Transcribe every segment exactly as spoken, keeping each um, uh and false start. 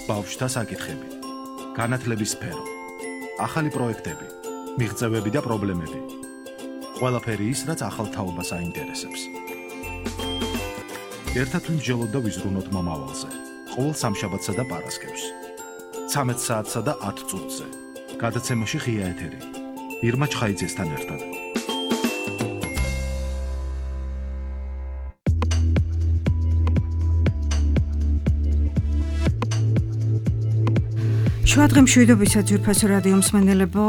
ბავშვთა საკითხები, განათლების სფერო, ახალი პროექტები, მიღწევები და პრობლემები. ყველაფერი ის, რაც ახალ თაობას აინტერესებს. ერთად ვიმსჯელოთ და ვიზრუნოთ მომავალზე, ყოველ სამშაბათსა და პარასკევს. ცამეტ საათსა და ათ წუთზე. გადაცემაში ღია ეთერი. ირმა ჩხაიძესთან ერთად. შუადღე მშვიდობისა ძვირფასო რადიო მსმენელებო,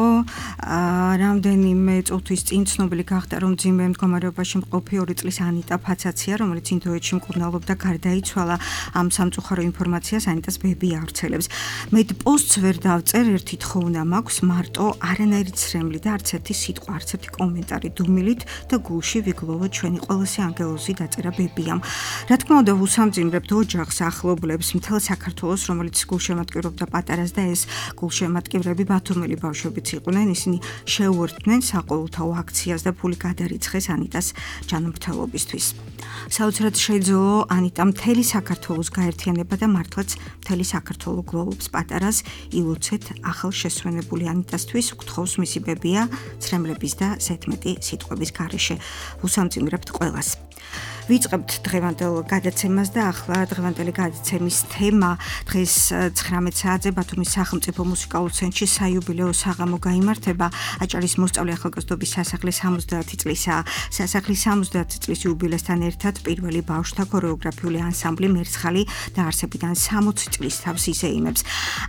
რამდენიმე წუთის წინ ცნობილი გახდა, რომ მძიმე მდგომარეობაში მყოფი ორი წლის ანიტა ფაცაცია, რომელიც ინდოეთში მკურნალობდა, გარდაიცვალა. ამ სამწუხარო ინფორმაციას ანიტას ბები ავრცელებს. მეტ პოსტს ვერ დავწერ, ერთი თხოვნა მაქვს, მარტო არანაირი ცრემლი და არც ერთი სიტყვა, არც ერთი კომენტარი დუმილით და გულში ვიგლოვო ჩვენი ყველაზე ანგელოზი დაწერა ბებიამ. რა თქმა უნდა, ვუსამძიმრებთ ოჯახს, ახლობლებს, მთელ საქართველოს, რომელიც გულშემატკივრობდა პატარას და ეს გულშემატკივრები ბათუმელი ბავშვებიც იყვნენ, ისინი შეუერთდნენ საყოველთაო აქციას და ფული გადარიცხეს ანიტას ჯანმრთელობისთვის. საოცრად შეძლო ანიტა მთელი საქართველოს გაერთიანება და მართლაც მთელი საქართველო გლოვობს პატარას. ილოცეთ ახალ შესვენებული ანიტასთვის, გთხოვს მისი ბებია ცრემლების და ზედმეტი სიტყვების გარეშე. ვუსამძიმრებთ ყველას. ვიწყებთ დღევანდელ გადაცემას და ახლა დღევანდელი გადაცემის თემა დღეს ცხრამეტ საათზე ბათუმის სახელმწიფო მუსიკალურ ცენტრში საიუბილეო საღამო გაიმართება. აჭარის მოსწავლე ახალგაზრდობის სასახლე სამოცდაათი წლისაა. სასახლის სამოცდაათი წლის იუბილესთან ერთად პირველი ბავშვთა ქორეოგრაფიული ანსამბლი მერცხალი დაარსებიდან სამოცი წლის თავს იზეიმებს.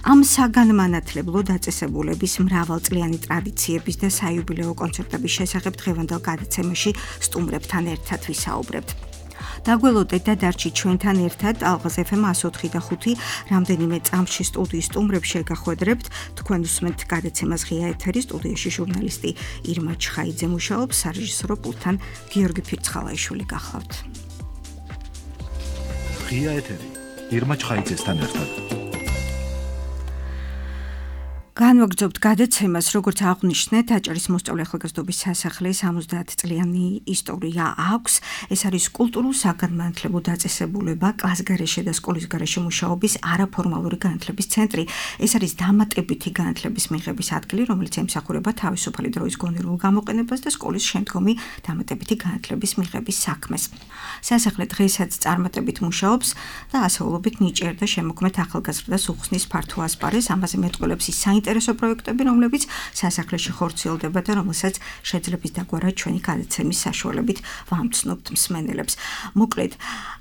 ამ საგანმანათლებლო დაწესებულების მრავალწლიანი ტრადიციების და საიუბილეო კონცერტების შესახებ დღევანდელ გადაცემაში სტუმრებთან ერთად ვისაუბრებთ. დაგველოდეთ და დარჩით ჩვენთან ერთად ალღაზ ეფ ემ εκατო ოთხი და ხუთი რამდენიმე წამში სტუდიის სტუმრებს შეგახვედრებთ. თქვენ უსმენთ გადაცემას ღია ეთერი, სტუდიაში ჟურნალისტი ირმა ჩხაიძე მუშაობს, სარეჟისორო პულტთან გიორგი ფირცხალაიშვილი გახლავთ. ღია ეთერი ირმა ჩხაიძესთან ერთად. განვაგრძობთ გადაცემას, როგორც აღვნიშნეთ, აჭარის მოსწავლე ახალგაზრდობის სასახლე სამოცდაათი წლიანი ისტორია აქვს. ეს არის კულტურულ საგანმანათლებლო დაწესებულება, კლასგარეშე და სკოლის გარეშე მუშაობის არაფორმალური განათლების ცენტრი. ეს არის დამატებითი განათლების მიღების ადგილი, რომელიც ემსახურება თავისუფალი დროის გონივრულ გამოყენებას და სკოლის შემდგომი დამატებითი განათლების მიღების საქმეს. სასახლე დღესაც წარმატებით მუშაობს და ასეულობით ნიჭიერ და შემოქმედ ახალგაზრდას უხსნის ფართო ასპარეზს. ამაზე მეტყველებს ის საინტერესო პროექტები, რომლებიც სასახლეში ხორციელდება და რომელსაც შეძლებს დაგვარად ჩვენი გადაცემის საშუალებით ვამცნობთ მსმენელებს. მოკლედ,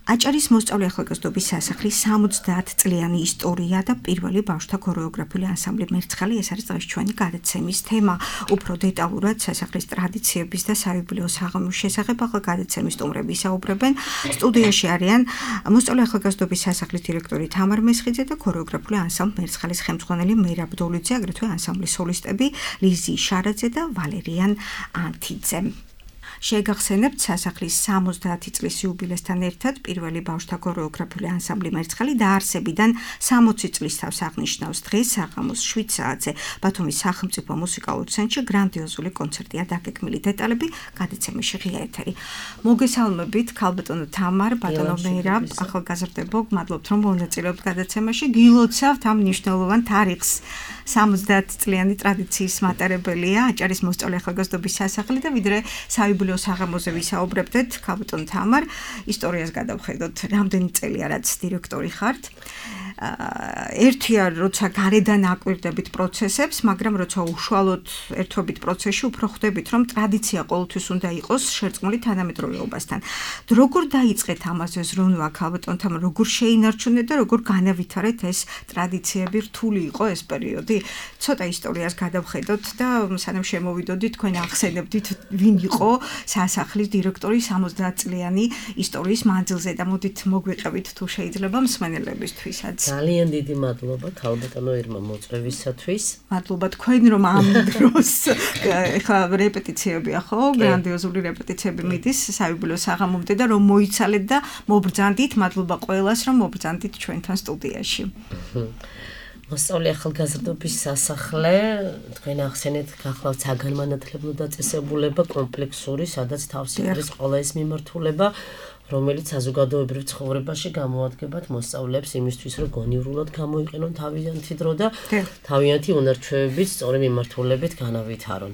აჭარის მოსწავლე ახალგაზრდობის სასახლის სამოცდაათი წლიანი ისტორია და პირველი ბავშვთა ქორეოგრაფიული ანსამბლი მერცხალი, ეს არის დღეს ჩვენი გადაცემის თემა. უფრო დეტალურად სასახლის ტრადიციების და საიუბილეო საღამოს შესახებ ახლა გადაცემის სტუმრები ისაუბრებენ. სტუდიაში არიან მოსწავლე ახალგაზრდობის სასახლის დირექტორი თამარ მესხიძე და ქორეოგრაფიული ანსამბლ მერცხალის ხელმძღვანელი მერაბ დოლიძე, აგრეთვე ანსამბლის სოლისტები ლიზი შარაძე და ვალერიან ანთიძე. შეგახსენებთ სასახლის სამოცდაათი წლის იუბილესთან ერთად პირველი ბავშვთა ქორეოგრაფიული ანსამბლი მერცხალი დაარსებიდან სამოცი წლის თავს აღნიშნავს დღეს საღამოს შვიდ საათზე ბათუმის სახელმწიფო მუსიკალურ ცენტრში გრანდიოზული კონცერტია დაგეგმილი. დეტალები გადაცემაში ღია ეთერი. მოგესალმებით ქალბატონო თამარ, ბატონო მერაბ, ახალგაზრდებო, გმადლობთ რომ მონაწილეობთ გადაცემაში. გილოცავთ ამ მნიშვნელოვან თარიღს. სამოცდაათი წლიანი ტრადიციის მატარებელია აჭარის მოსწავლე ახალგაზრდობის სასახლე და ვიდრე საიუბილეო საღამოზე ვისაუბრებდეთ, ქალბატონ თამარ, ისტორიას გადავხედოთ, რამდენი წელია რაც დირექტორი ხართ. ერთია როცა გარედან აკვირდებით პროცესებს, მაგრამ როცა უშუალოდ ერთობით პროცესში უფრო ხვდებით, რომ ტრადიცია ყოველთვის უნდა იყოს შერწყმული თანამედროვეობასთან. როგორ დაიწყეთ ამაზე ზრუნვა, ქალბატონ თამარ, როგორ შეინარჩუნეთ და როგორ განავითარეთ ეს ტრადიციები, რთული იყო ეს პერიოდი? ცოტა ისტორიას გადავხედოთ და სანამ შემოვიდოდით, თქვენ ახსენებდით, ვინ იყო სასახლის დირექტორი სამოცდაათი წლიანი ისტორიის მანძილზე და მოდით მოგვიყევით თუ შეიძლება მსმენელებისთვისაც. ძალიან დიდი მადლობა ქალბატონო ირმა მოწვევისათვის. მადლობა თქვენ რომ ამ დროს ეხლა რეპეტიციებია ხო? გრანდიოზული რეპეტიციები მიდის საიუბილეო საღამომდე და რომ მოიცალეთ და მობრძანდით, მადლობა ყველას რომ მობრძანდით ჩვენთან სტუდიაში. მოსწავლე ახალგაზრდობის სასახლე, თქვენ ახსენეთ, გახლავთ საგანმანათლებლო დაწესებულება კომპლექსური, სადაც თავს იყრის ყველა ეს მიმართულება, რომელიც საზოგადოებრივ ცხოვრებაში გამოადგებათ მოსწავლეებს იმისთვის, რომ გონივრულად გამოიყენონ თავიანთი დრო და თავიანთი უნარჩვევებით სწორი მიმართულებით განავითარონ.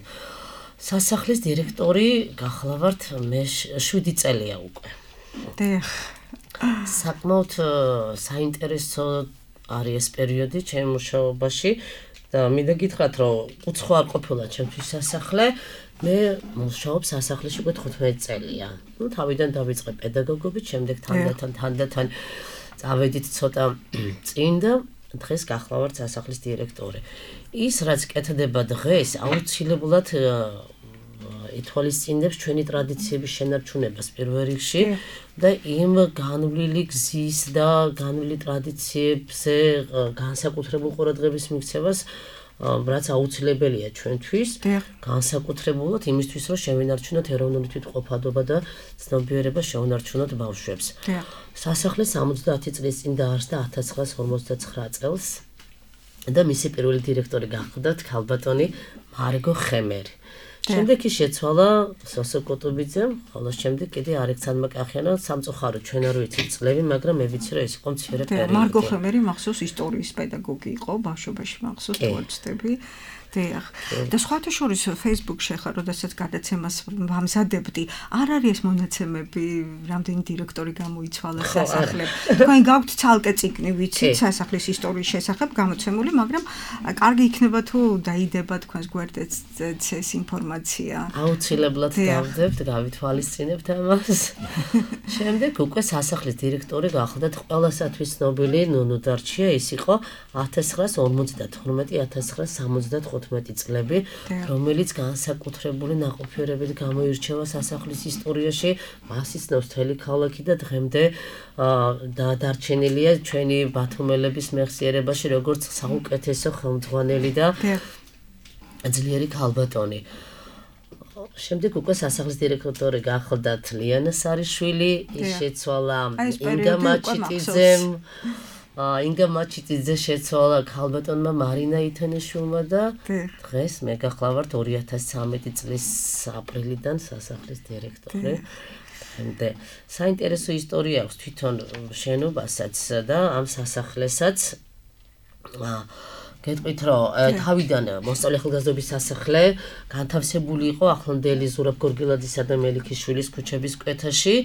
სასახლის დირექტორი გახლავართ მე შვიდი წელია უკვე. დიახ. საკმაოდ საინტერესო არის ეს პერიოდი ჩემ მუშაობაში და მინდა გითხრათ, რომ უცხო არ ყოფილა ჩემთვის სასახლე. მე მუშაობ სასახლეში უკვე თხუთმეტი წელია. ნუ თავიდან დავიწყე პედაგოგობით, შემდეგ თანდათან თანდათან წავედით ცოტა წინ და დღეს გახლავართ სასახლის დირექტორი. ის რაც კეთდება დღეს, აუცილებლად ითვალისწინებს ჩვენი ტრადიციების შენარჩუნებას პირველ რიგში და იმ განვლილი გზის და განვლილი ტრადიციებზე განსაკუთრებულ ყურადღების მიქცევას რაც აუცილებელია ჩვენთვის, განსაკუთრებულად იმისთვის, რომ შევინარჩუნოთ ეროვნული თვითმყოფადობა და ცნობიერება შევინარჩუნოთ ბავშვებს. სასახლე სამოცდაათი წლის წინ დაარსდა ათას ცხრაას ორმოცდაცხრა წელს და მისი პირველი დირექტორი გახლდათ ქალბატონი მარგო ხემერი. შემდეგ ის შეცვალა სოსო კოტუბიძემ, ხოლო შემდეგ კიდე ალექსანდრე კახიანმა სამწუხაროდ ჩვენ არ ვიცით წლები, მაგრამ მე ვიცი, რომ ეს იყო მცირე პერიოდი. მარგო ხემერი მახსოვს ისტორიის პედაგოგი იყო, ბავშვობაში მახსოვს თვალწდები. დიახ. და სხვათა შორის Facebook-ში ხარ, როდესაც გადაცემას ვამზადებდი, არ არის ეს მონაცემები, რამდენი დირექტორი გამოიცვალა სასახლემ. თქვენ გაქვთ ცალკე წიგნი, ვიცით, სასახლის ისტორიის შესახებ გამოცემული, მაგრამ კარგი იქნება თუ დაიდება თქვენს გვერდზე ეს ინფორმაცია. აუცილებლად დავდებთ, გავითვალისწინებთ ამას. შემდეგ უკვე სასახლის დირექტორი გახლდათ ყველასათვის ცნობილი ნუნუ დარჩია, ის იყო ათას ცხრაას ორმოცდათორმეტი ათას ცხრაას სამოცდათხუთმეტი წლები, რომელიც განსაკუთრებული ნაყოფიერებით გამოირჩევა სასახლის ისტორიაში, მას იცნობს მთელი ქალაქი და დღემდე და დარჩენილია ჩვენი ბათუმელების მეხსიერებაში, როგორც საუკეთესო ხელმძღვანელი და ძლიერი ქალბატონი. შემდეგ უკვე სასახლის დირექტორი გახლდათ ლიანა სარიშვილი, ის შეცვალა ინგა მაჩიტიძემ. ინგა მაჩიტიძე შეცვალა ქალბატონმა მარინა ითენიშვილმა და დღეს მე გახლავართ ორი ათას ცხრამეტი წლის აპრილიდან სასახლის დირექტორი. და საინტერესო ისტორია აქვს თვითონ შენობასაც და ამ სასახლესაც. გეტყვით, რომ თავიდან მოსწავლე ახალგაზრდობის სასახლე განთავსებული იყო ახლანდელი ზურაბ გორგილაძისა და მელიქიშვილის ქუჩების კვეთაში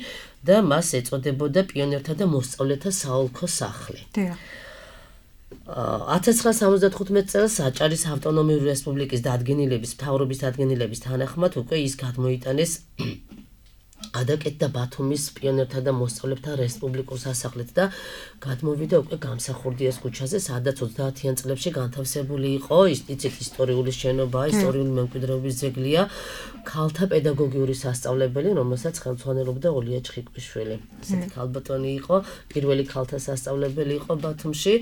და მას ეწოდებოდა პიონერთა და მოსწავლეთა საოლქო სახლი. ათას ცხრაას სამოცდათხუთმეტ წელს აჭარის ავტონომიური რესპუბლიკის დადგენილების მთავრობის დადგენილების თანახმად უკვე ის გადმოიტანეს ადაკეთ და ბათუმის პიონერთა და მოსწავლეთა რესპუბლიკურ სასახლედ და გადმოვიდა უკვე გამსახურდიას ქუჩაზე, სადაც ოცდაათიან წლებში განთავსებული იყო, იცით ისტორიული შენობა, ისტორიული მემკვიდრეობის ძეგლია, ქალთა პედაგოგიური სასწავლებელი, რომელსაც ხელმძღვანელობდა ოლია ჩხიკვიშვილი. ესეთი ქალბატონი იყო, პირველი ქალთა სასწავლებელი იყო ბათუმში.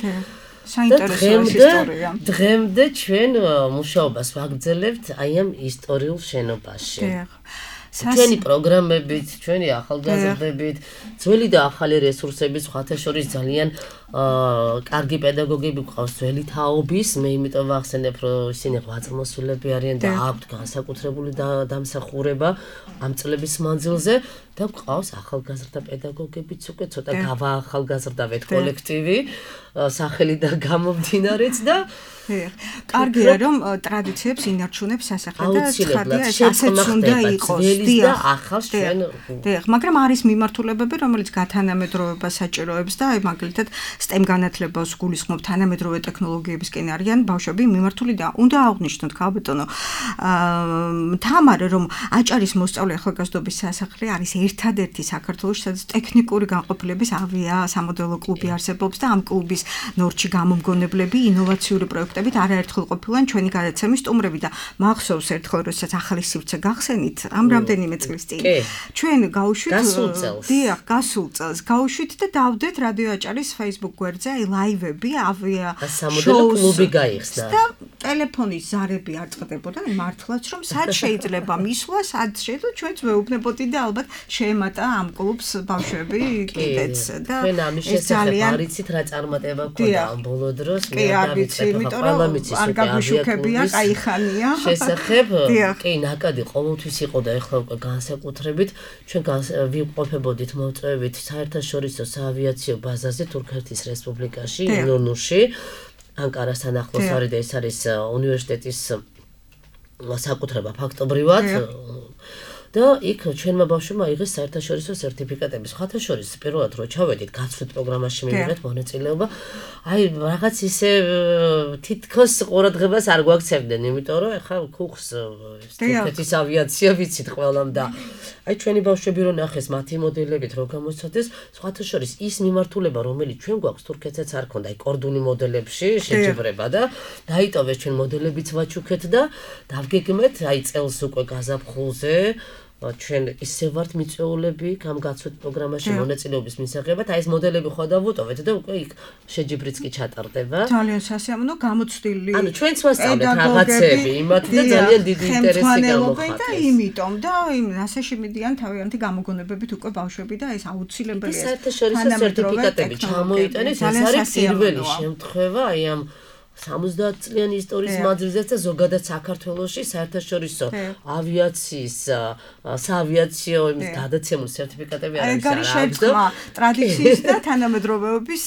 საინტერესო ისტორია. დღემდე ჩვენ მუშაობას ვაგრძელებთ აი ამ ისტორიულ შენობაში. ჩვენი პროგრამებით, ჩვენი ახალგაზრდებით, ძველი და ახალი რესურსებით, სხვათა შორის ძალიან კარგი პედაგოგები გვყავს ძველი თაობის, მე იმიტომ ვახსენებ, რომ ისინი ღვაწლმოსილები არიან და აქვთ განსაკუთრებული დამსახურება ამ წლების მანძილზე და გვყავს ახალგაზრდა პედაგოგებიც უკვე ცოტა გავაახალგაზრდავეთ კოლექტივი, სახელიდან გამომდინარეც და კარგია რომ ტრადიციებს ინარჩუნებს სასახლე და ცხადია ეს ასეც უნდა იყოს. დიახ, ახალ ჩვენ. დიახ, მაგრამ არის მიმართულებები, რომელიც გათანამედროვებას საჭიროებს და აი მაგალითად STEM განათლებას გულისხმობ თანამედროვე ტექნოლოგიებისკენ არიან ბავშვები მიმართული და უნდა აღვნიშნოთ ქალბატონო თამარ რომ აჭარის მოსწავლე ახალგაზრდობის სასახლე არის ერთადერთი საქართველოში, სადაც ტექნიკური განყოფილების ავია სამოდელო კლუბი არსებობს და ამ კლუბის ნორჩი გამომგონებლები ინოვაციური პროექტებით არაერთხელ ყოფილან ჩვენი გადაცემის სტუმრები და მახსოვს ერთხელ როდესაც ახალი სივრცე გახსენით ამ რამდენიმე წლის წინ ჩვენ გავუშვით დიახ გასულ წელს გავუშვით და დავდეთ რადიო აჭარის Facebook გვერდზე აი ლაივები ავია სამოდელო კლუბი გაიხსნა და ტელეფონის ზარები არ წყდებოდა მართლაც რომ სად შეიძლება მისვლა სად შეიძლება ჩვენც ვეუბნებოდი და ალბათ შეემატა ამ კლუბს ბავშვები კიდეც და ჩვენ ამის შესახებ არიცით რა წარმატება გქონდა ამ ბოლო დროს კი არ ვიცი იმიტომ რომ არ გაგვიშუქებია კაიხანია შესახებ კი ნაკადი ყოველთვის იყო და ეხლა უკვე განსაკუთრებით ჩვენ ვიმყოფებოდით მოვწევებით საერთაშორისო საავიაციო ბაზაზე თურქეთის რესპუბლიკაში ინონუში ანკარასთან ახლოს არის და ეს არის უნივერსიტეტის საკუთრება ფაქტობრივად და იქ ჩვენმა ბავშვებმა იღეს საერთაშორისო სერტიფიკატები. სხვათა შორის პირველად რო ჩავედით გაცვლით პროგრამაში მივიღეთ მონაწილეობა. აი რაღაც ისე თითქოს ყურადღებას არ გვაქცევდნენ, იმიტომ რომ ეხლა ქუხს თურქეთის ავიაცია ვიცით ყველამ და აი ჩვენი ბავშვები რო ნახეს მათი მოდელებით რო გამოსცადეს, სხვათა შორის ის მიმართულება რომელიც ჩვენ გვაქვს თურქეთსაც არ ქონდა, აი კორდული მოდელებში შეჯიბრება და დაიტოვეს ჩვენ მოდელებიც ვაჩუქეთ და დავგეგმეთ აი წელს უკვე გაზაფხულზე ჩვენ ისე ვართ მიწვეულები ამ გაცვით პროგრამაში მონაწილეობის მისაღებად, აი ეს მოდელები ხო დავუტოვეთ და უკვე იქ შეჯიბრიც კი ჩატარდება. ძალიან სასიამოვნო გამოცდილი. ანუ ჩვენც ვასწავლეთ რაღაცები, იმათ და ძალიან დიდი ინტერესი გამოხატეს. და იმიტომ და იმ ასეში მიდიან თავიანთი გამოგონებებით უკვე ბავშვები და ეს აუცილებელია. საერთაშორისო სერტიფიკატები ჩამოიტანეს, ეს არის პირველი შემთხვევა აი ამ სამოცდაათ წლიანი ისტორიის მანძილზეც და ზოგადად საქართველოში საერთაშორისო ავიაციის საავიაციო იმის გადაცემული სერტიფიკატები არის არა შეცდომა ტრადიციის და თანამედროვეობის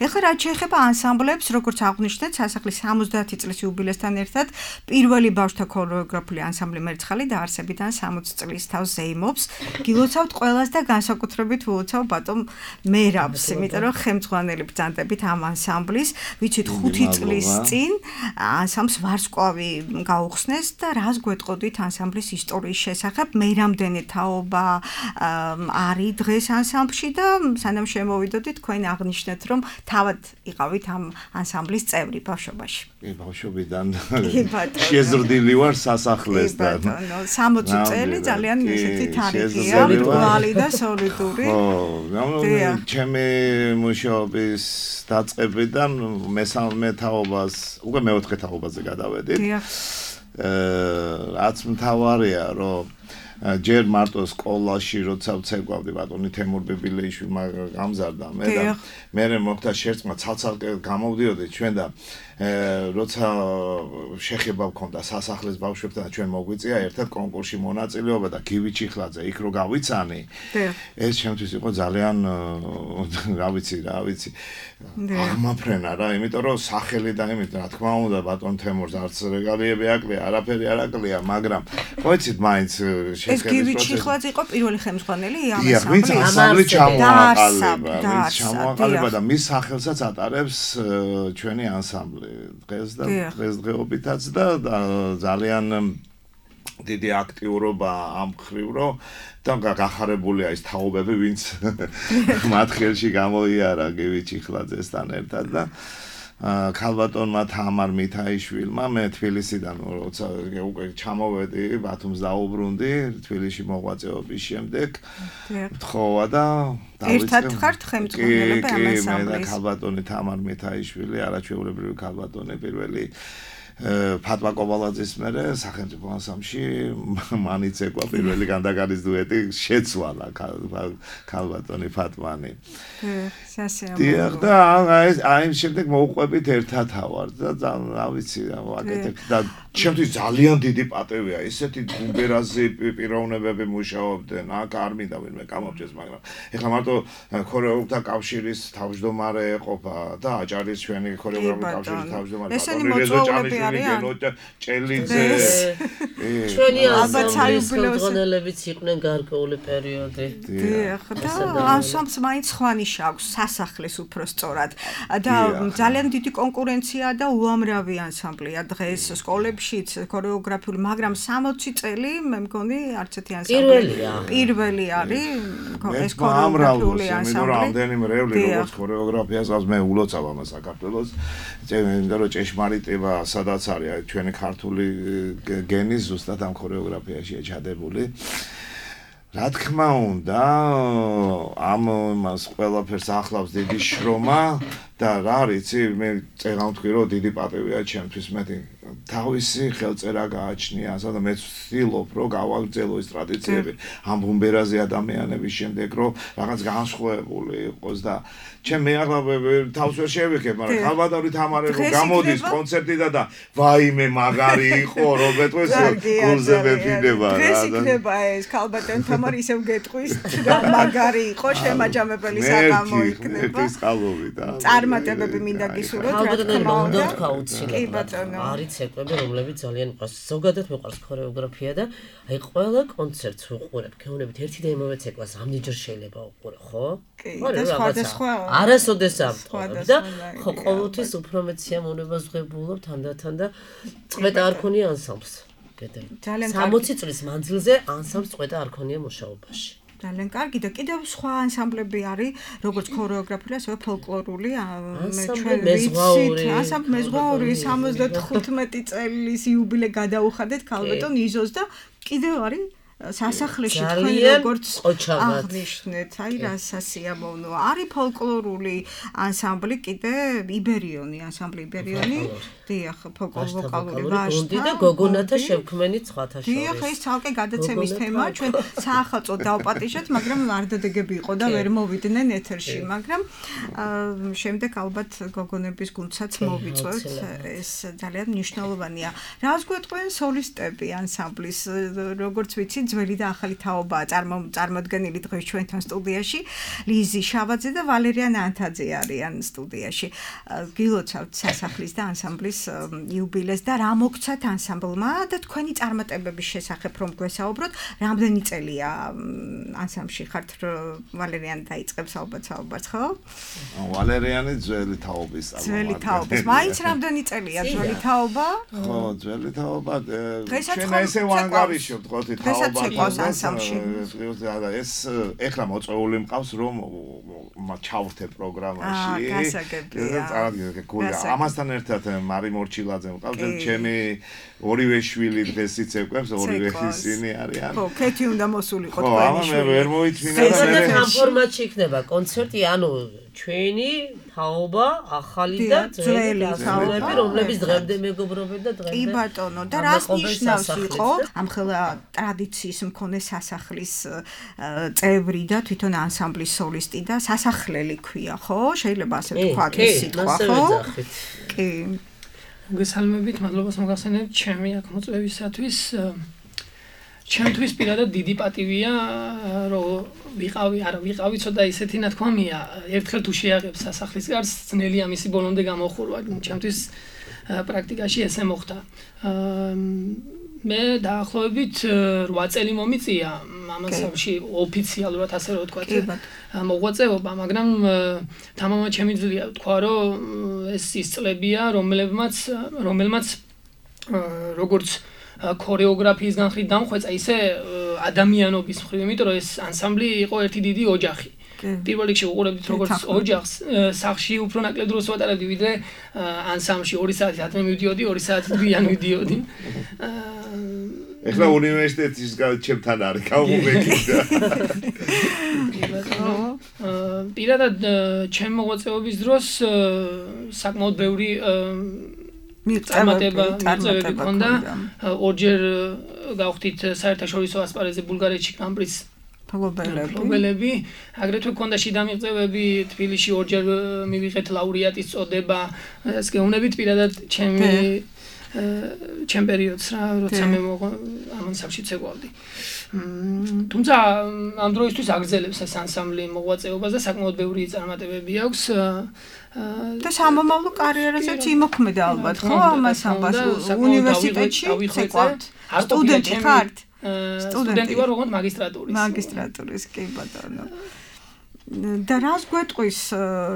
ეხლა რაც შეეხება ანსამბლებს როგორც აღვნიშნეთ სასახლის სამოცდაათი წლის იუბილესთან ერთად პირველი ბავშვთა ქორეოგრაფიული ანსამბლი მერცხალი დაარსებიდან სამოცი წლის თავს ზეიმობს გილოცავთ ყველას და განსაკუთრებით ვილოცავ ბატონ მერაბს იმიტომ რომ ხელმძღვანელი ბრძანდებით ამ ანსამბლის ვიცით ხუთი წლის წინ ანსამბლს ვარსკვლავი გაუხსნეს და რას გვეტყოდით ანსამბლის ისტორიის შესახებ მე რამდენი თაობა არის დღეს ანსამბლში და სანამ შემოვიდოდით თქვენ აღნიშნეთ რომ თავად იყავით ამ ანსამბლის წევრი ბავშვობაში კი ბავშვობიდან შეზრდილი ვარ სასახლესთან სამოცი წელი ძალიან ესეთი თარიღია მრგვალი და სოლიდური ხო ჩემი მუშაობის დაწყებიდან მესამე თაობას უკვე მეოთხე თაობაზე გადავედით. რაც მთავარია, რომ ჯერ მარტო სკოლაში როცა ვცეკვავდი ბატონი თემურ ბიბილეიშვილმა გამზარდა მე და მე მოხდა შერწყმა ცალ-ცალკე გამოვდიოდი ჩვენ და როცა შეხება მქონდა სასახლის ბავშვებთან და ჩვენ მოგვიწია ერთად კონკურსში მონაწილეობა და გივი ჩიხლაძე იქ რო გავიცანი ეს ჩემთვის იყო ძალიან რა ვიცი რა ვიცი აღმაფრენა რა იმიტომ რომ სახელი და იმით რა თქმა უნდა ბატონ თემურს არც რეგალიები აკლია არაფერი არ აკლია მაგრამ ყოიცით მაინც ეს გივი ჩიხლაძე იყო პირველი ხელმძღვანელი ამ ანსამბლი ჩამოაყალიბა ვინც ჩამოაყალიბა და მის სახელსაც ატარებს ჩვენი ანსამბლი დღეს და დღესდღეობითაც და ძალიან დიდი აქტიურობა ამ ხრივ რომ და გახარებულია ის თაობები ვინც მათ ხელში გამოიარა გივი ჩიხლაძესთან ერთად და ქალბატონმა თამარ მითაიშვილმა მე თბილისიდან როცა უკვე ჩამოვედი ბათუმს დაუბრუნდი თბილისში მოღვაწეობის შემდეგ თხოვა და ერთად ხართ ხელმძღვანელები ამ ანსამბლის კი მე და ქალბატონი თამარ მითაიშვილი არაჩვეულებრივი ქალბატონი პირველი ფატმა კობალაძის მერე სახელმწიფო ანსამბლში მანიც ეკვა პირველი განდაგარის დუეტი შეცვალა ქალბატონი ფატმანი სასიამოვნო და აი შემდეგ მოუყვებით ერთად ავარ და რა ვიცი ვაკეთებ და ჩემთვის ძალიან დიდი პატევია ისეთი გუმბერაზე პიროვნებები მუშაობდნენ აქ არ მინდა ვინმე გამოვჭეს მაგრამ ეხლა მარტო ქორეოგრაფთა კავშირის თავმჯდომარე ეყოფა და აჭარის ჩვენი ქორეოგრაფიული კავშირის თავმჯდომარე ესენი მოწვეულები არიან ჭელიძე ჩვენი ანსამბლის ხელმძღვანელებიც იყვნენ გარკვეული პერიოდი დიახ და ანსამბლს მაინც სხვა ნიშა აქვს სასახლის უფრო სწორად და ძალიან დიდი კონკურენცია და უამრავი ანსამბლია დღეს სკოლებშიც ქორეოგრაფიული მაგრამ სამოცი წელი მე მგონი არც ერთი ანსამბლი პირველი არის ეს ქორეოგრაფიული ანსამბლი რამდენი მრევლი როგორც ქორეოგრაფიას გავს მე ულოცავ ამას საქართველოს იმიტომ რომ ჭეშმარიტება სადაც არის ჩვენი ქართული გენი ზუსტად ამ ქორეოგრაფიაშია ჩადებული რა თქმა უნდა ამ მას ყველაფერს ახლავს დიდი შრომა და რა ვიცი მე წეგავ თქვი რომ დიდი პატევია ჩემთვის მე თავისი ხელწერა გააჩნია, ასადა მე ვცდილობ, რომ გავაგრძელო ეს ტრადიციები ამ ბუმბერაზე ადამიანების შემდეგ, რომ რაღაც განსხვავებული იყოს და ჩემ მე ახლა თავს ვერ შევიქებ, მაგრამ ხალბატონი თამარე რომ გამოდის კონცერტიდან და ვაიმე მაგარი იყო, რომეთქოს გულზე მეფინება რა. დღეს იქნება ეს ხალბატონი თამარი ისევ გეტყვის და მაგარი იყო, შემაჯამებელი საღამო იქნება. ეს ყალობი და წარმატებები მინდა გისურვოთ, რა თქმა უნდა. თქვა უცილებლად. არის ცეკვები, რომლებიც ძალიან მყავს. ზოგადად მიყვარს ქორეოგრაფია და აი ყველა კონცერტს ვუყურებ, გეუბნებით ერთი და იმავე ცეკვას ამდენჯერ შეიძლება უყურე, ხო? კი, და სხვადასხვა არასოდეს ამტყობ და ხო ყოველთვის უფრო მეტ სიამოვნებას ვღებულობ თანდათან და წვეტა არ ქონია ანსამბლს. ძალიან სამოცი წლის მანძილზე ანსამბლს წვეტა არ ქონია მუშაობაში. ძალიან კარგი და კიდევ სხვა ანსამბლები არის, როგორც ქორეოგრაფიული, ასევე ფოლკლორული, ჩვენ ვიცით, ანსამბლი მეზღვაური სამოცდათხუთმეტი წლის იუბილე გადაუხადეთ ქალბატონ იზოს და კიდევ არის სასახლეში თქვენ როგორც აღნიშნეთ, აი რა სასიამოვნოა. არის ფოლკლორული ანსამბლი კიდე იბერიონი, ანსამბლი იბერიონი, დიახ, ფოლკლორული ვაჟთა და გოგონათა შევქმენი სხვათა შორის. დიახ, ეს ცალკე გადაცემის თემაა, ჩვენ საახალწლოდ დავპატიჟეთ, მაგრამ ვარდადეგები იყო და ვერ მოვიდნენ ეთერში, მაგრამ შემდეგ ალბათ გოგონების გუნდსაც მოვიწვევთ, ეს ძალიან მნიშვნელოვანია. რას გვეტყვიან სოლისტები ანსამბლის, როგორც ვიცი ძველი და ახალი თაობაა წარმოდგენილი დღეს ჩვენთან სტუდიაში. ლიზი შავაძე და ვალერიან ანთაძე არიან სტუდიაში. გილოცავთ სასახლის და ანსამბლის იუბილეს და რა მოგცათ ანსამბლმა და თქვენი წარმატებების შესახებ რომ გვესაუბროთ, რამდენი წელია ანსამბლში ხართ, ვალერიან დაიწყებს ალბათ საუბარს, ხო? ვალერიანი ძველი თაობის წარმომადგენელი. ძველი თაობის. მაინც რამდენი წელია ძველი თაობა? ხო, ძველი თაობა. ჩვენ ესე ვანგარიშობთ, ხო, თაობა ცეკვავს ანსამბლში. ეს ეხლა მოწვეული მყავს რომ ჩავრთე პროგრამაში. გასაგებია. ამასთან ერთად მარი მორჩილაძე მყავს, ჩემი ორივე შვილი დღეს იცეკვებს, ორივე ისინი არიან. ხო, ქეთი უნდა მოსულიყო თქვენი შვილი. ხო, ამან მე ვერ მოიწმინდა და მე ამ ფორმატში იქნება კონცერტი, ანუ ჩვენი თაობა, ახალი და ძველი თაობები, რომლებიც დღემდე მეგობრობენ და დღემდე. კი ბატონო, და რას ნიშნავს იყო ამხელა ტრადიციის მქონე სასახლის წევრი და თვითონ ანსამბლის სოლისტი და სასახლელი ქვია, ხო? შეიძლება ასე ვთქვათ ეს სიტყვა, ხო? კი. მოგესალმებით, მადლობას მოგახსენებთ ჩემი აქ მოწვევისათვის. ჩემთვის პირადად დიდი პატივია, რომ ვიყავი, არა, ვიყავი ცოტა ისეთი ნათქვამია, ერთხელ თუ შეაღებს სასახლის გარს, ძნელია მისი ბოლომდე გამოხურვა. ჩემთვის პრაქტიკაში ესე მოხდა. მე დაახლოებით რვა წელი მომიწია ამასავში ოფიციალურად ასე რომ ვთქვათ მოღვაწეობა, მაგრამ თამამად შემიძლია ვთქვა, რომ ეს ის წლებია, რომლებმაც რომელმაც როგორც ქორეოგრაფიის განხრით დამხვეწა, ისე ადამიანობის მხრივ, იმიტომ რომ ეს ანსამბლი იყო ერთი დიდი ოჯახი. პირველ რიგში უყურებთ როგორც ოჯახს, სახში უფრო ნაკლებ დროს ვატარებდი, ვიდრე ანსამბლში ორი საათი ათმე მივდიოდი, ორი საათი გვიან ვიდიოდი. ეხლა უნივერსიტეტის ჩემთან არის გამომეკიდა. პირადად ჩემ მოღვაწეობის დროს საკმაოდ ბევრი მიღწევები მქონდა. ორჯერ გავხდით საერთაშორისო ასპარეზზე ბულგარეთში კამპრის მფლობელები, აგრეთვე მქონდა შიდა მიღწევები, თბილისში ორჯერ მივიღეთ ლაურეატის წოდება. ეს გეუბნებით პირადად ჩემი ჩემ პერიოდს რა, როცა მე ამ ანსამბლში ცეკვავდი. თუმცა ამ დროისთვის აგრძელებს ეს ანსამბლი მოღვაწეობას და საკმაოდ ბევრი წარმატებები აქვს. და სამომავლო კარიერაზეც იმოქმედა ალბათ, ხო, ამას ამბავს უნივერსიტეტში ცეკვავთ. სტუდენტი ხართ? სტუდენტი ვარ, როგორც მაგისტრატურის. მაგისტრატურის, კი ბატონო. და რას გვეტყვის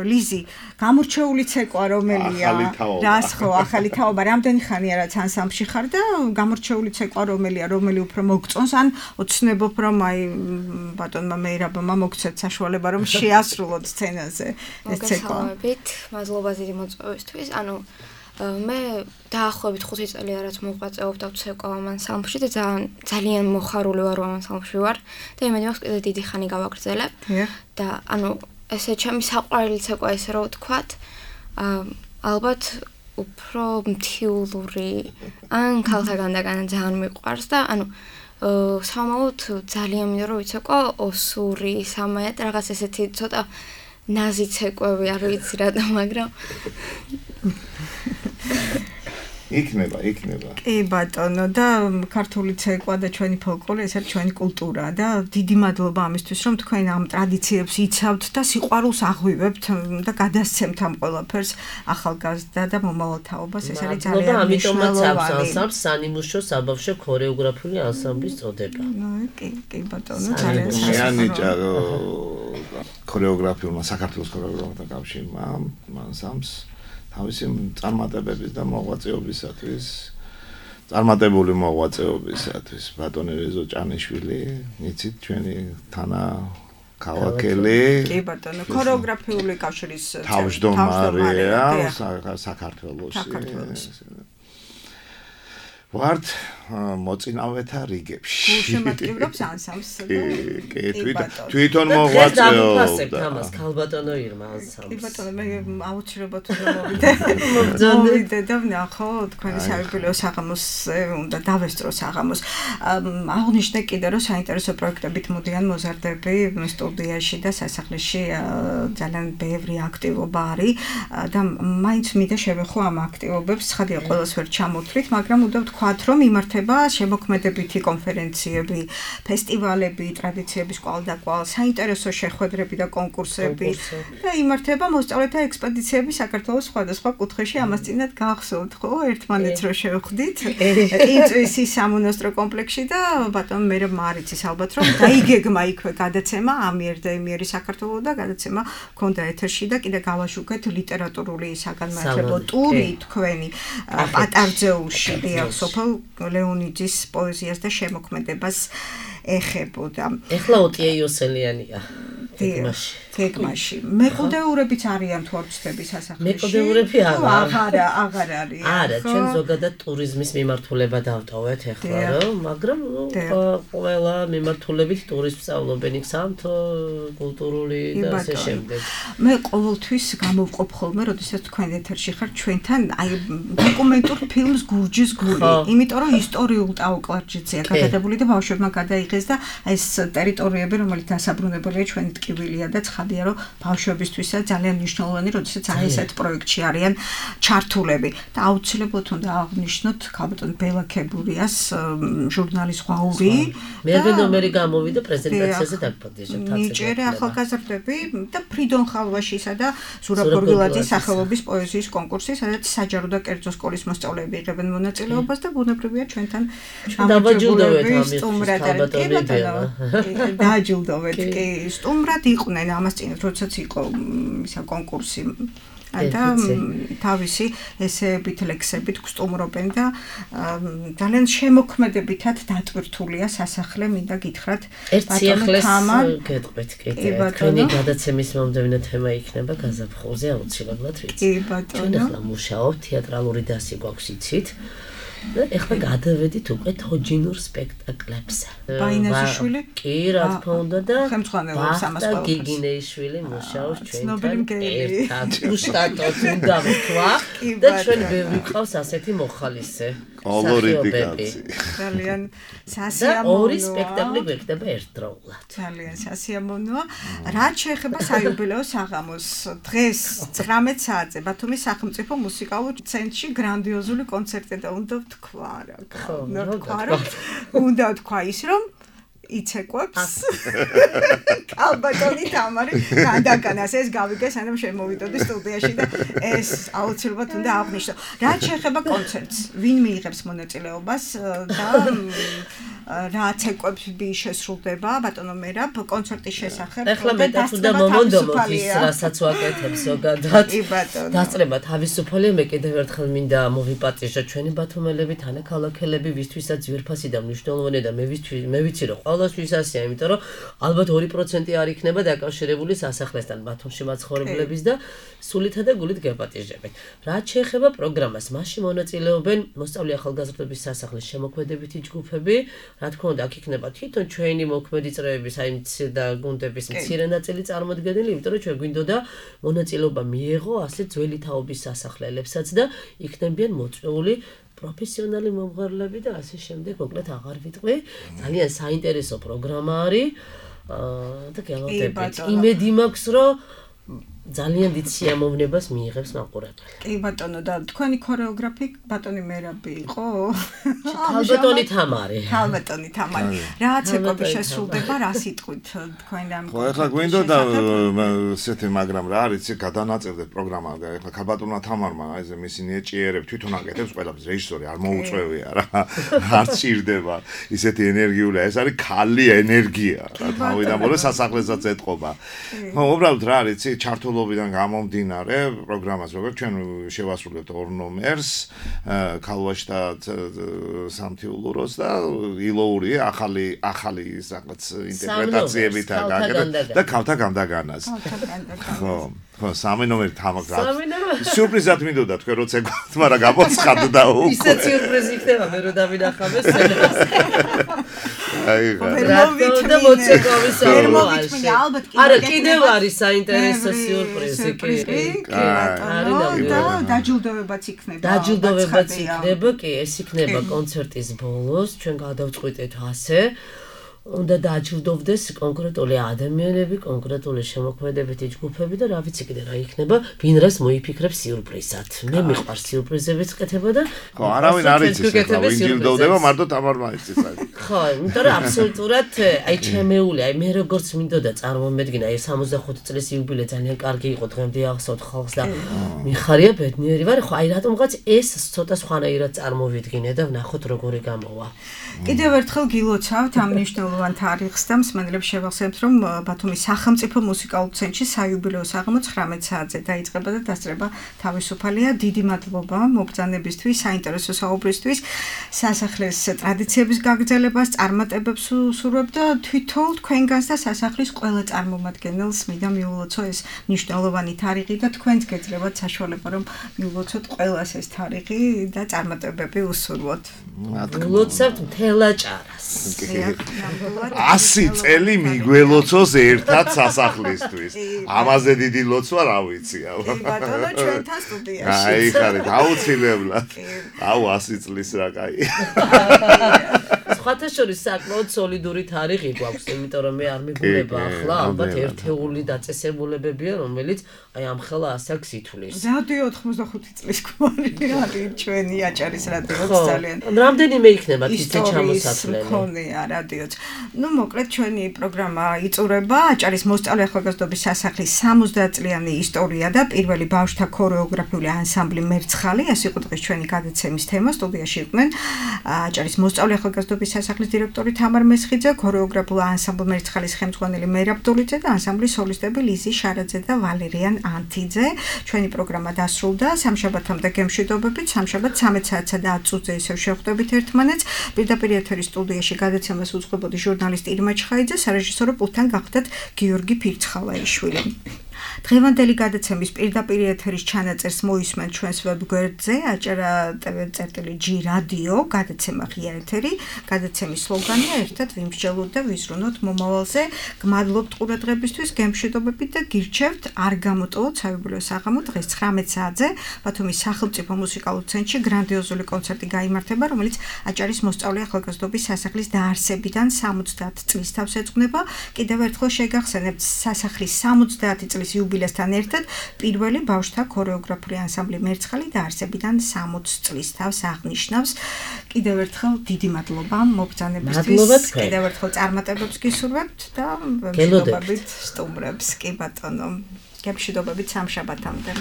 ლიზი, გამორჩეული ცეკვა რომელია? რას ხო, ახალი თაობა, რამდენი ხანია რაც ანსამბლში ხარ და გამორჩეული ცეკვა რომელია, რომელი უფრო მოგწონს, ან ოცნებობ რომ აი ბატონმა მეირაბმა მოგცეთ საშუალება რომ შეასრულოთ სცენაზე ეს ცეკვა. მოგესალმებით, მადლობა დიდი მოწვევისთვის. ანუ მე დაახლოებით ხუთი წელია რაც მოღვაწეობ და ვცეკვავ ამ ანსამბლში და ძალიან ძალიან მოხარული ვარ ამ ანსამბლში ვარ და იმედი მაქვს კიდე დიდი ხანი გავაგრძელებ. და ანუ ესე ჩემი საყვარელი ცეკვა ესე რომ ვთქვათ, ალბათ უფრო მთიულური ან ქალთაგან დაგან ძალიან მიყვარს და ანუ სამაოდ ძალიან მინდა რომ ვიცოყო ოსური სამაად რაღაც ესეთი ცოტა ნაზი ცეკვები არ ვიცი რატომ მაგრამ იქნება, იქნება. კი ბატონო და ქართული ცეკვა და ჩვენი ფოლკლორი ეს არის ჩვენი კულტურა და დიდი მადლობა ამისთვის რომ თქვენ ამ ტრადიციებს იცავთ და სიყვარულს აღვივებთ და გადასცემთ ამ ყველაფერს ახალგაზრდა და მომავალ თაობას ეს არის ძალიან ამიტომაც აქვს ანსამბლს სანიმუშო საბავშვო ქორეოგრაფიული ანსამბლის წოდება. ნუ კი კი ბატონო ძალიან შეანიჭა ქორეოგრაფიულმა საქართველოს ქორეოგრაფთა კავშირმა ანსამბლს თავისი წარმატებების და მოღვაწეობისათვის წარმატებული მოღვაწეობისათვის ბატონი რეზო ჭანიშვილი იცით ჩვენი თანა ქალაქელი კი ბატონო ქორეოგრაფიული კავშირის თავმჯდომარეა საქართველოში ვართ მოწინავეთა რიგებში. გულშემატკივრობს ანსამბლს და კი თვითონ მოღვაწეობდა. ამას ქალბატონო ირმა ანსამბლს. კი ბატონო მე აუცილებლად უნდა მოვიდე. მოვიდე და ვნახო თქვენი საიუბილეო საღამოსზე უნდა დავესწრო საღამოს. აღნიშნე კიდე რომ საინტერესო პროექტებით მოდიან მოზარდები სტუდიაში და სასახლეში ძალიან ბევრი აქტივობა არის და მაინც მინდა შევეხო ამ აქტივობებს. ცხადია ყველას ვერ ჩამოთვლით, მაგრამ უნდა ვთქვათ რომ იმართება შემოქმედებითი კონფერენციები, ფესტივალები, ტრადიციების კვალდაკვალ, საინტერესო შეხვედრები და კონკურსები და იმართება მოსწავლეთა ექსპედიციები საქართველოს სხვადასხვა კუთხეში. ამას წინათ გახსოვთ, ხო, ერთმანეთს რო შევხვდით. ყინწვისის სამონასტრო კომპლექსში და ბატონ მე მარიცის ალბათ რომ დაიგეგმა იქვე გადაცემა ამიერ და იმიერი საქართველოს და გადაცემა ქონდა ეთერში და კიდე გავაშუქეთ ლიტერატურული საგანმანათლებლო ტური თქვენი პატარძეულში დიახ სოფელ ლეონიძის პოეზიას და შემოქმედებას ეხებოდა. ეხლა ოტია იოსელიანია გეგმაში. გეგმაში. მეყოდეურებიც არიან თუ არ ვწდები სასახლეში? მეყოდეურები აღარ. აღარა, აღარ არის. არა, ჩვენ ზოგადად ტურიზმის მიმართულება დავტოვეთ ეხლა რომ, მაგრამ ყველა მიმართულებით ტურისტს სწავლობენ იქ სამთო, კულტურული და ასე შემდეგ. მე ყოველთვის გამოვყოფ ხოლმე, როდესაც თქვენ ეთერში ხართ ჩვენთან, აი დოკუმენტურ ფილმს გურჯის გული, იმიტომ რომ ისტორიულ ტაო-კლარჯეთზეა გადაღებული და ბავშვებმა გადაიღეს და ეს ტერიტორიები, რომელიც დასაბრუნებელია ჩვენი ტკივილია და ცხადია რომ ბავშვებისთვისაც ძალიან მნიშვნელოვანი, როდესაც აი ესეთ პროექტში არიან ჩართულები და აუცილებლად უნდა აღნიშნოთ ქალბატონ ბელა ქებურიას ჟურნალის ღვაური. მერვე ნომერი გამოვიდა პრეზენტაციაზე დაგპატიჟებთ თაცე. ნიჭერე ახალგაზრდები და ფრიდონ ხალვაშისა და ზურაბ გორგილაძის სახელობის პოეზიის კონკურსი, სადაც საჯარო და კერძო სკოლის მოსწავლეები იღებენ მონაწილეობას და ბუნებრივია ჩვენთან დავაჯილდოვეთ ამის სტუმრად დააჯილდოვეთ კი სტუმრად იყვნენ ამას წინ როდესაც იყო ისა კონკურსი და თავისი ესეებით ლექსებით გსტუმრობენ და ძალიან შემოქმედებითად დატვირთულია სასახლე მინდა გითხრათ ერთ სიახლეს გეტყვით კიდე თქვენი გადაცემის მომდევნო თემა იქნება გაზაფხულზე აუცილებლად ვიცი კი ბატონო ჩვენ ახლა მუშაობთ თეატრალური დასი გვაქვს იცით და ეხლა გადავედით უკვე თოჯინურ სპექტაკლებზე. ბაინაზიშვილი? კი, რა თქმა უნდა და ხელმძღვანელობს ამას ყველაფერს. გიგინეიშვილი მუშაობს ჩვენთან. ერთად უშტატოდ უნდა ვთქვა და ჩვენ ბევრი ყავს ასეთი მოხალისე. კოლორიტი კაცი. ძალიან სასიამოვნოა. ორი სპექტაკლი გვექნება ერთდროულად. ძალიან სასიამოვნოა. რაც შეეხება საიუბილეო საღამოს, დღეს ცხრამეტ საათზე ბათუმის სახელმწიფო მუსიკალურ ცენტრში გრანდიოზული კონცერტი და უნდა თქვა რა. უნდა თქვა რა. უნდა თქვა ის რომ იცეკვებს კალბატონი თამარი გადაგანას ეს გავიგე სანამ შემოვიდოდი სტუდიაში და ეს აუცილებლად უნდა აღნიშნო. რაც შეეხება კონცერტს, ვინ მიიღებს მონაწილეობას და რა ცეკვები შესრულდება ბატონო მერაბ კონცერტის შესახებ. ეხლა მეტად უნდა მომონდომოთ ის რასაც ვაკეთებს ზოგადად. კი ბატონო. დასწრება თავისუფალია, მე კიდევ ერთხელ მინდა მოვიპატიჟო ჩვენი ბათუმელები, თანაქალაქელები, ვისთვისაც ძვირფასი და მნიშვნელოვანია და მე ვისთვის მე ვიცი რომ ყველასთვის ასეა, იმიტომ რომ ალბათ ორი პროცენტი არ იქნება დაკავშირებული სასახლესთან ბათუმში მაცხოვრებლების და სულითა და გულით გეპატიჟებენ. რაც შეეხება პროგრამას, მასში მონაწილეობენ მოსწავლე ახალგაზრდების სასახლის შემოქმედებითი ჯგუფები, რა თქმა უნდა, აქ იქნება თვითონ ჩვენი მოქმედი წრეების, აი და გუნდების მცირე ნაწილი წარმოდგენილი, იმიტომ რომ ჩვენ გვინდოდა მონაწილეობა მიეღო ასე ძველი თაობის სასახლებსაც და იქნებიან მოწვეული პროფესიონალი მომღერლები და ასე შემდეგ, მოკლედ აღარ ვიტყვი. ძალიან საინტერესო პროგრამა არის. აა და გელოდებით. იმედი მაქვს, რომ ძალიან დიდ სიამოვნებას მიიღებს მაყურებელი. კი ბატონო და თქვენი ქორეოგრაფი ბატონი მერაბი იყო? ქალბატონი თამარი. ქალბატონი თამარი. რაც ეკები შესრულდება, რა სიტყვით თქვენ ამ ხო, ეხლა გვინდოდა ესეთი, მაგრამ რა არის, გადანაწილდეთ პროგრამა და ეხლა ქალბატონმა თამარმა აი ეს მისი ნიჭიერები თვითონ აკეთებს ყველაფერს, რეჟისორი არ მოუწევია რა. არ ჭირდება ისეთი ენერგიული, ეს არის ქალი ენერგია რა, თავიდან მორე სასახლესაც ეთყობა. ხო, უბრალოდ რა არის, ჩართულობიდან გამომდინარე პროგრამას, როგორც ჩვენ შევასრულებთ ორ ნომერს, ქალვაშ და სამთიულუროს და ილოური ახალი ახალი რაღაც ინტერპრეტაციებით აკეთებთ და ქალთა განდაგანას. ხო, ხო, სამი ნომერი თამაგრა. სიურპრიზად მინდოდა თქვენ როცა გქონთ, მაგრამ გამოცხადდა უკვე. ისე სიურპრიზი იქნება, მე რო დავინახავე სცენას. აი, რა და მოცეკვავის საუბარი. არა, კიდევ არის საინტერესო სიურპრიზი კი. და დაჯილდოვებაც იქნება. დაჯილდოვებაც იქნება, კი, ეს იქნება კონცერტის ბოლოს, ჩვენ გადავწყვიტეთ ასე. უნდა დააჯილდოვდეს კონკრეტული ადამიანები, კონკრეტული შემოქმედებითი ჯგუფები და რა ვიცი კიდე რა იქნება, ვინ რას მოიფიქრებს სიურპრიზად. მე მიყვარს სიურპრიზების კეთება და ხო, არავინ არ იცის ახლა, ვინ ჯილდოვდება, მარტო თამარმა იცის აი. ხო, იმიტომ რომ აბსოლუტურად აი ჩემეული, აი მე როგორც მინდოდა წარმომედგინა, აი სამოცდახუთი წლის იუბილე ძალიან კარგი იყო დღემდე ახსოვთ ხალხს და მიხარია ბედნიერი ვარ, ხო, აი რატომღაც ეს ცოტა სხვანაირად წარმოვიდგინე და ვნახოთ როგორი გამოვა. კიდევ ერთხელ გილოცავთ ამ მნიშვნელოვან თარიღს და მსმენელებს შევახსენებთ, რომ ბათუმის სახელმწიფო მუსიკალურ ცენტრში საიუბილეო საღამო ცხრამეტ საათზე დაიწყება და დასწრება თავისუფალია. დიდი მადლობა მობრძანებისთვის, საინტერესო საუბრისთვის, სასახლის ტრადიციების გაგრძელებას, წარმატებებს ვსურვებ და თვითონ თქვენგანს და სასახლის ყველა წარმომადგენელს მინდა მიულოცო ეს მნიშვნელოვანი თარიღი და თქვენს გეძლევათ საშუალება, რომ მიულოცოთ ყველას ეს თარიღი და წარმატებები უსურვოთ. ულოცავთ მთელ აჭარას. ასი წელი მიგველოცოს ერთად სასახლისთვის. ამაზე დიდი ლოცვა რა ვიცი. ბატონო ჩვენთან სტუდიაში. აი ხარით, აუცილებლად. აუ ასი წლის რა კაი. სხვათა შორის საკმაოდ სოლიდური თარიღი გვაქვს, იმიტომ რომ მე არ მიგულება ახლა, ალბათ ერთეული დაწესებულებებია, რომელიც აი ამ ხელა ასე აქვს ითვლის. რადიო ოთხმოცდახუთი წლის გვარი არის ჩვენი აჭარის რადიოც ძალიან. რამდენიმე იქნება თითე ჩამოსათვლელი. მქონია რადიოც. ნუ მოკლედ ჩვენი პროგრამა იწურება აჭარის მოსწავლე ახალგაზრდობის სასახლის სამოცდაათ წლიანი ისტორია და პირველი ბავშვთა ქორეოგრაფიული ანსამბლი მერცხალი, ეს იყო დღეს ჩვენი გადაცემის თემა. სტუდიაში იყვნენ აჭარის მოსწავლე ახალგაზრდობის სასახლის დირექტორი თამარ მესხიძე, ქორეოგრაფულ ანსამბლ მერცხალის ხელმძღვანელი მერაბ დოლიძე და ანსამბლის სოლისტები ლიზი შარაძე და ვალერიან ანთიძე. ჩვენი პროგრამა დასრულდა. სამშაბათამდე გემშვიდობებით, სამშაბათ ცამეტ საათსა და ათ წუთზე ისევ შევხვდებით ერთმანეთს. პირდაპირ ეთერის სტუდიაში გადაცემას უძღვებოდი ჟურნალისტი ირმა ჩხაიძე, სარეჟისორო პულტთან გახდათ გიორგი ფირცხალაიშვილი. დღევანდელი გადაცემის პირდაპირ ეთერის ჩანაწერს მოისმენთ ჩვენს ვებგვერდზე აჭარა ტვ.ჯი რადიო, გადაცემა ღია ეთერი, გადაცემის სლოგანია ერთად ვიმსჯელოთ და ვიზრუნოთ მომავალზე. გმადლობთ ყურადღებისთვის, გემშვიდობებით და გირჩევთ არ გამოტოვოთ საიუბილეო საღამო დღეს ცხრამეტ საათზე ბათუმის სახელმწიფო მუსიკალურ ცენტრში გრანდიოზული კონცერტი გაიმართება, რომელიც აჭარის მოსწავლე ახალგაზრდობის სასახლის დაარსებიდან სამოცდაათ წლის თავს ეძღვნება. კიდევ ერთხელ შეგახსენებთ სასახლის სამოცდაათი წლის იუბილესთან ერთად პირველი ბავშვთა ქორეოგრაფიული ანსამბლი მერცხალი დაარსებიდან სამოცი წლის თავს აღნიშნავს. კიდევ ერთხელ დიდი მადლობა მობრძანებისთვის. კიდევ ერთხელ წარმატებებს გისურვებთ და მშვიდობებით სტუმრებს. კი ბატონო, გემშვიდობებით სამშაბათამდე.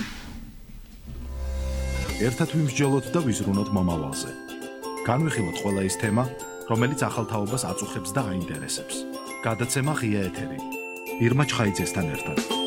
ერთად ვიმსჯელოთ და ვიზრუნოთ მომავალზე. განვიხილოთ ყველა ის თემა, რომელიც ახალ თაობას აწუხებს და აინტერესებს. გადაცემა ღია ეთერი. ირმა ჩხაიძესთან ერთად.